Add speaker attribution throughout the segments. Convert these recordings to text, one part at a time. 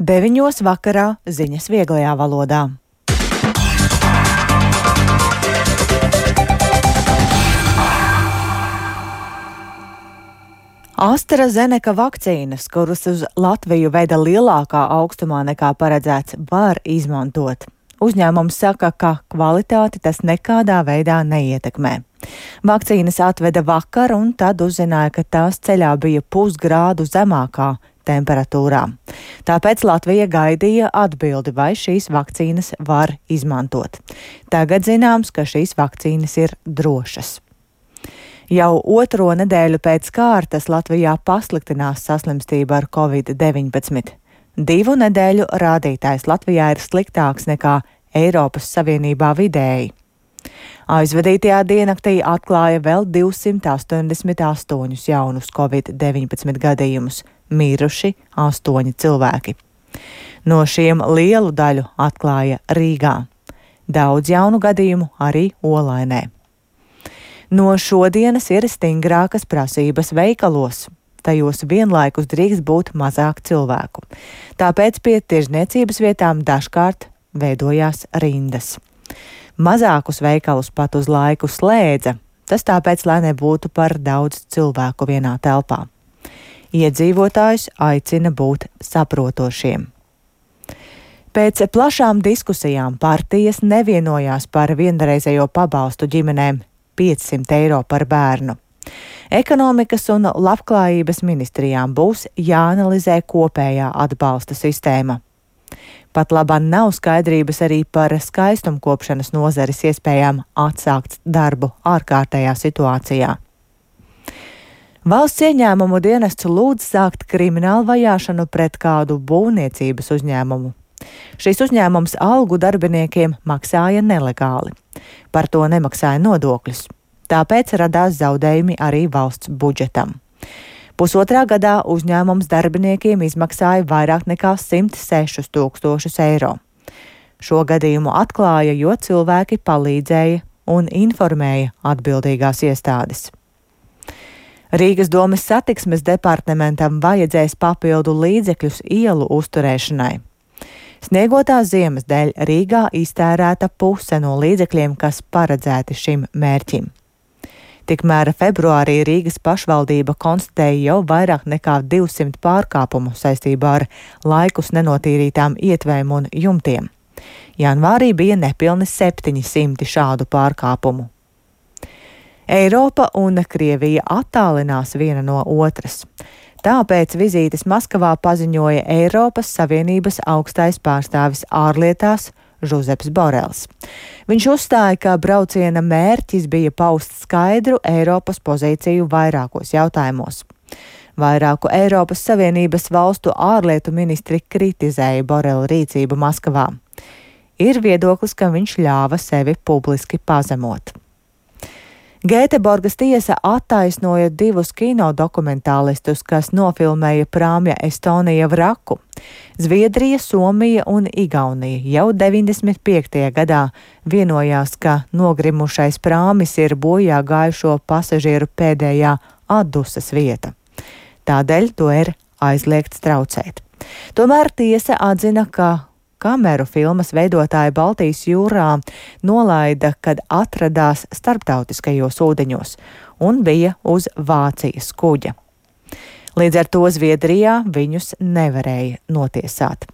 Speaker 1: 9 vakarā ziņas vieglajā valodā. AstraZeneca vakcīnas, kuras uz Latviju veda lielākā augstumā nekā paredzēts, var izmantot. Uzņēmums saka, ka kvalitāti tas nekādā veidā neietekmē. Vakcīnas atveda vakar, un tad uzzināja, ka tās ceļā bija pusgrādu zemākā temperatūrā. Tāpēc Latvija gaidīja atbildi, vai šīs vakcīnas var izmantot. Tagad zināms, ka šīs vakcīnas ir drošas. Jau otro nedēļu pēc kārtas Latvijā pasliktinās saslimstība ar Covid-19. 2 nedēļu rādītājs Latvijā ir sliktāks nekā Eiropas Savienībā vidēji. Aizvadītajā diennaktī atklāja vēl 288 jaunus Covid-19 gadījumus, miruši 8 cilvēki. No šiem lielu daļu atklāja Rīgā. Daudz jaunu gadījumu arī Olainē. No šodienas ir stingrākas prasības veikalos. Tajos vienlaikus drīkst būt mazāk cilvēku. Tāpēc pie tirdzniecības vietām dažkārt veidojās rindas. Mazākus veikalus pat uz laiku slēdza, tas tāpēc, lai nebūtu par daudz cilvēku vienā telpā. Iedzīvotājus aicina būt saprotošiem. Pēc plašām diskusijām partijas nevienojās par vienreizējo pabalstu ģimenēm 500 eiro par bērnu. Ekonomikas un labklājības ministrijām būs jāanalizē kopējā atbalsta sistēma. Pat labāk nav skaidrības arī par skaistumkopšanas nozares iespējām atsākt darbu ārkārtējā situācijā. Valsts ieņēmumu dienests lūdz sākt kriminālu vajāšanu pret kādu būvniecības uzņēmumu. Šis uzņēmums algu darbiniekiem maksāja nelegāli. Par to nemaksāja nodokļus. Tāpēc radās zaudējumi arī valsts budžetam. Pusotrā gadā uzņēmums darbiniekiem izmaksāja vairāk nekā 106 000 eiro. Šo gadījumu atklāja, jo cilvēki palīdzēja un informēja atbildīgās iestādes. Rīgas domes satiksmes departamentam vajadzēs papildu līdzekļus ielu uzturēšanai. Sniegotās ziemas dēļ Rīgā iztērēta puse no līdzekļiem, kas paredzēti šim mērķim. Tikmēr februārī Rīgas pašvaldība konstatēja jau vairāk nekā 200 pārkāpumu saistībā ar laikus nenotīrītām ietvēm un jumtiem. Janvārī bija nepilni 700 šādu pārkāpumu. Eiropa un Krievija attālinās viena no otras. Tāpēc vizītes Maskavā paziņoja Eiropas Savienības augstais pārstāvis ārlietās Žuzeps Borels. Viņš uzstāja, ka brauciena mērķis bija paust skaidru Eiropas pozīciju vairākos jautājumos. Vairāku Eiropas Savienības valstu ārlietu ministri kritizēja Borela rīcību Maskavā. Ir viedoklis, ka viņš ļāva sevi publiski pazemot. Gēteborgas tiesa attaisnoja 2 kinodokumentālistus, kas nofilmēja prāmja Estonija vraku. Zviedrija, Somija un Igaunija jau 95. gadā vienojās, ka nogrimušais prāmis ir bojā gājušo pasažieru pēdējā atdusas vieta. Tādēļ to ir aizliegts traucēt. Tomēr tiesa atzina, ka kameru filmas veidotāji Baltijas jūrā nolaida, kad atradās starptautiskajos ūdeņos un bija uz Vācijas kuģa. Līdz ar to Zviedrijā viņus nevarēja notiesāt.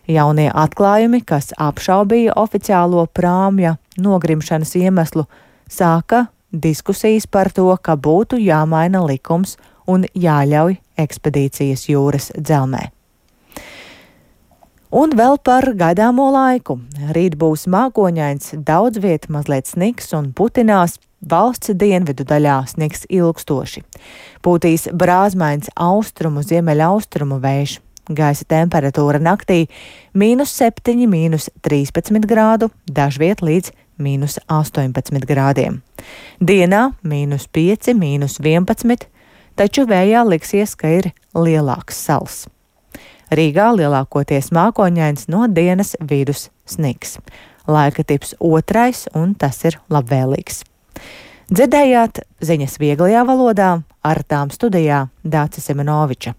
Speaker 1: Jaunie atklājumi, kas apšaubīja oficiālo prāmja nogrimšanas iemeslu, sāka diskusijas par to, ka būtu jāmaina likums un jāļauj ekspedīcijas jūras dzelmē. Un vēl par gaidāmo laiku. Rīt būs mākoņains, daudz viet mazliet sniks un putinās, valsts dienvidu daļā sniks ilgstoši. Pūtīs brāzmains austrumu, ziemeļaustrumu vējš. Gaisa temperatūra naktī -7, -13 grādu, dažviet līdz -18 grādiem. Dienā -5, -11, taču vējā liksies, ka ir lielāks sals. Rīgā lielākoties mākoņains, no dienas vidus sniks. Laika tips 2, un tas ir labvēlīgs. Dzirdējāt ziņas vieglajā valodā, ar tām studijā Dācis Semenoviča.